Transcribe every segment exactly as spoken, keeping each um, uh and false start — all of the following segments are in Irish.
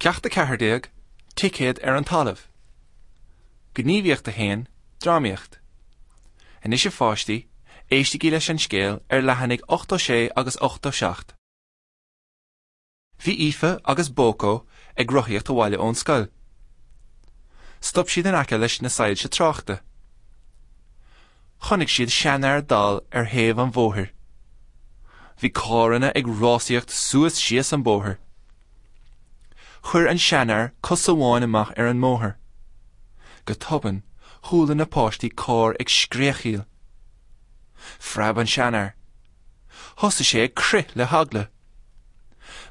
Ceacht a ceathair déag, Ticéad ar an talamh. Gníomhaíocht a haon, Drámaíocht. Anois a pháistí, éistigí leis an scéal ar leathanaigh ochtó sé agus ochtó seacht. Bhí Aoife agus Bócó ag rothaíocht abhaile ón scoil. Stop siad in aice leis na soilse tráchta. Chonaic siad seanfhear dall ar thaobh an bhóthair. Bhí carranna ag rásaíocht suas síos an bóthar. Chuir an seanfhear cos amháin amach ar an mbóthar. Go tobann, chuala na páistí carr ag scréachaíl. Phreab an seanfhear. Thosaigh sé ag crith le heagla.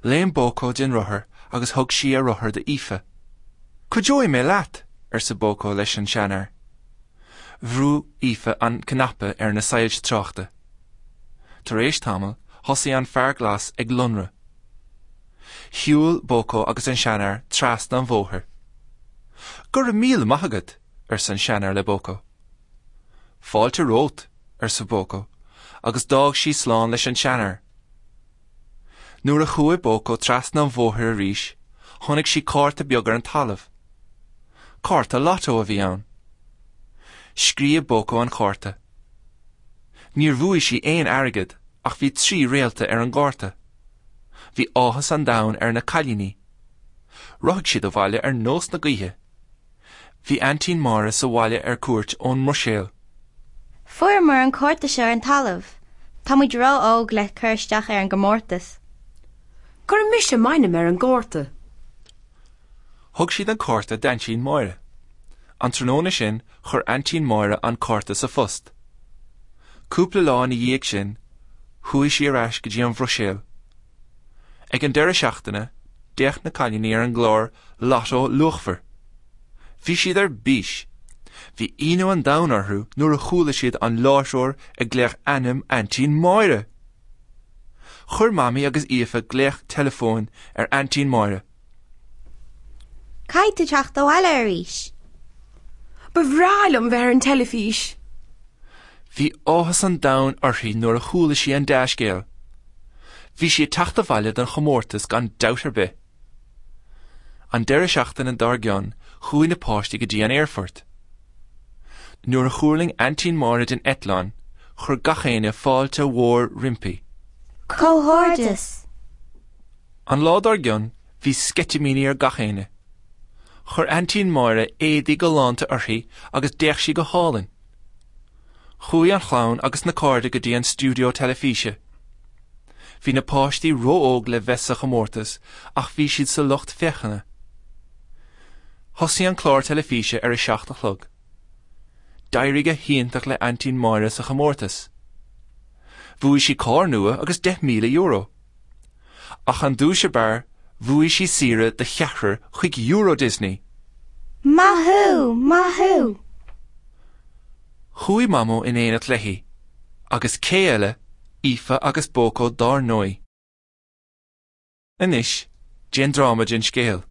Léim Bócó den rothar agus thug sí a rothar d'Aoife. Cuideoidh mé leat, arsa Bócó leis an seanfhear. Bhrúigh Aoife an cnaipe ar na soilse tráchta. Tar éis tamaill, thosaigh an fear glas ag lonradh. Shiúil Bócó agus an seanfhear trasna an bhóthair. Go raibh míle maith agat, arsa an seanfhear le Bócó. Fáilte romhat, arsa Bócó, agus d'fhág sí slán leis an seanfhear. Nuair a chuaigh Bócó trasna an bhóthair arís, chonaic sí cárta beag ar an talamh. Cárta lotto a bhí ann. Scríobh Bócó an cárta. Níor bhuaigh sí aon airgead ach bhí trí réalta ar an gcárta. Bhí áthas an domhain ar na cailíní. Rothaigh siad abhaile ar nós na gaoithe. Bhí Aintín Máire sa bhaile ar cuairt ón mBruiséil. Fuaireamar an cárta seo ar an talamh. Tá muid ró-óg le cur isteach ar an gcomórtas. Cuirfidh mise m'ainm ar an gcárta. Thug siad an cárta d'Aintín Máire. An tráthnóna sin chuir Aintín Máire an cárta sa phost. Cúpla lá ina dhiaidh sin, chuaigh sí ar ais go dtí an Bhruiséil. Ag an deireadh seachtaine, d'fhéach na cailíní ar an gclár Lotto Luachmhar. Bhí siad ar bís. Bhí ionadh an domhain orthu nuair a chuala siad an láithreoir ag glaoch ainm Aintín Máire. Chuir Mamaí agus Aoife glaoch teileafóin ar Aintín Máire. Caithfidh tú teacht abhaile arís. Ba bhreá liom bheith ar an teilifís. Bhí áthas an domhain uirthi nuair a chuala sí an dea-scéal. Bhí sí ag teacht abhaile don chomórtas gan dabht ar bith. An deireadh seachtaine dár gcionn chuaigh na páistí go dtí an aerfort. Nuair a thuirling Aintín Máire den eitleán, chuir gach éinne fáilte mhór roimpi. Comhghairdeas! An lá dár gcionn bhí sceitimíní ar gach éinne. Chuir Aintín Máire éadaí galánta uirthi agus d'fhéach sí go hálainn. Chuaigh an chlann agus na cairde go dtí an stiúideo teilifíse. Bhí na páistí ró-óg le bheith sa chomórtas ach bhí siad sa lucht féachana. Thosaigh an clár teilifíse ar a seacht a chlog. D'éirigh go hiontach le Aintín Máire sa chomórtas. Bhuaigh sí carr nua agus deich míle euro. Ach an duais ab fhearr, bhuaigh sí saoire do cheathrar chuig Euro Disney. Maith thú, maith thú! Chuaigh Mamó in éineacht léi, agus cé eile, Aoife agus Bócó dár ndóigh. Anois, déan dráma den scéal.